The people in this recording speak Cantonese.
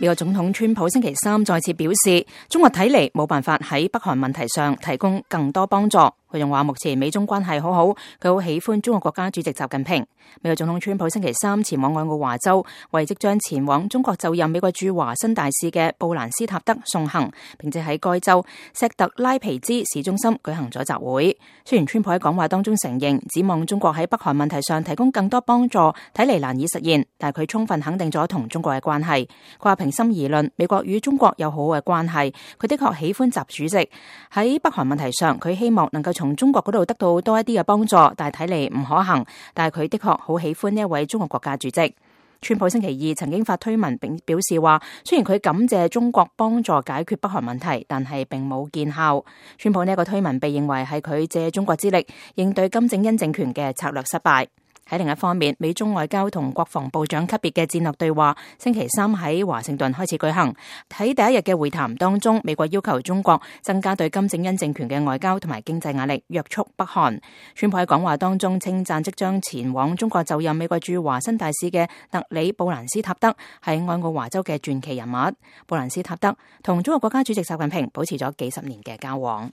美國總統川普星期三再次表示，中國睇嚟冇辦法喺北韓問題上提供更多幫助。佢仲話目前美中關係好好，佢好喜歡中國國家主席習近平。美國總統川普星期三前往愛奧華州，為即將前往中國就任美國駐華新大使嘅布蘭斯塔德送行，並且喺該州錫特拉皮茲市中心舉行咗集會。雖然川普喺講話當中承認，指望中國喺北韓問題上提供更多幫助，睇嚟難以實現，但係佢充分肯定咗同中國嘅關係。佢話平心而論，美國與中國有好好嘅關係，佢的確喜歡習主席。喺北韓問題上，佢希望能夠從中國嗰度得到多一啲嘅幫助，但係睇嚟唔可行。但係佢的確好喜歡呢一位中國國家主席。川普星期二曾經發推文並表示話，雖然佢感謝中國幫助解決北韓問題，但係並冇見效。川普呢一個推文被認為係佢借中國之力應對金正恩政權嘅策略失敗。喺另一方面，美中外交同國防部長級別嘅戰略對話星期三喺華盛頓開始舉行。喺第一日嘅會談當中，美國要求中國增加對金正恩政權嘅外交同埋經濟壓力，約束北韓。川普喺講話當中稱讚即將前往中國就任美國駐華新大使嘅特里布蘭斯塔德係愛奧華州嘅傳奇人物。布蘭斯塔德同中國國家主席習近平保持咗幾十年嘅交往。